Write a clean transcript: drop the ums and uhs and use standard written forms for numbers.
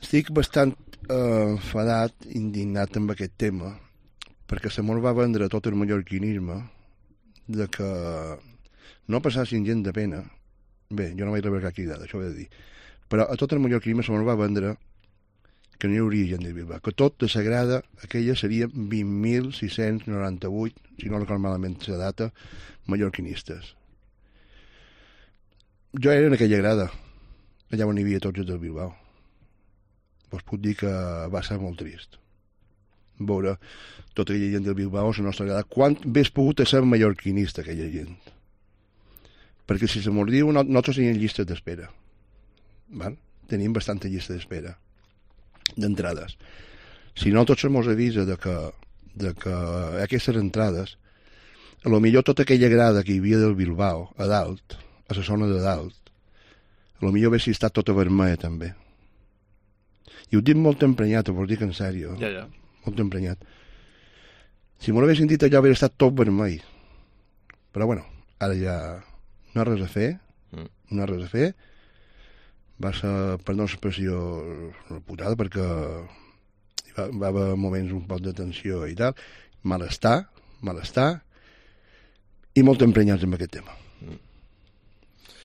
Estic bastant enfadat, indignat amb aquest tema, perquè se mos va vendre tot el mallorquinisme de que no passassin gent de pena. Bé, jo no vaig rebre cap cridada, això ho he de dir. Però a tot el mallorquinisme se mos va vendre que no hi hauria gent de Bilbao, que tot de Sagrada, aquella seria 20.698, si no recordo malament la data, mallorquinistes. Jo era en aquella grada, allà on hi havia tots els del Bilbao. Vos puc dir que va ser molt trist veure tota aquella gent del Bilbao a la nostra grada. Quant hagués pogut ser mallorquinista aquella gent? Perquè si se mos diu, nosaltres tenim llistes d'espera. Tenim bastanta llista d'espera d'entrades. Si no, tots se mos avisa de que aquestes entrades, a lo millor tota aquella grada que hi havia del Bilbao, a dalt, a la zona de dalt, a lo millor hagués estat tota vermella també. I ho dic molt emprenyat, ho dic en sèrio. Ja. Molt emprenyat. Si m'ho haguessin dit allò hauria estat tot vermell. Però bueno, ara ja no hi ha res a fer. No hi ha res a fer. Va ser, perdó l'expressió, una putada, perquè va haver moments un poc de tensió i tal. Malestar, i molt emprenyats amb aquest tema.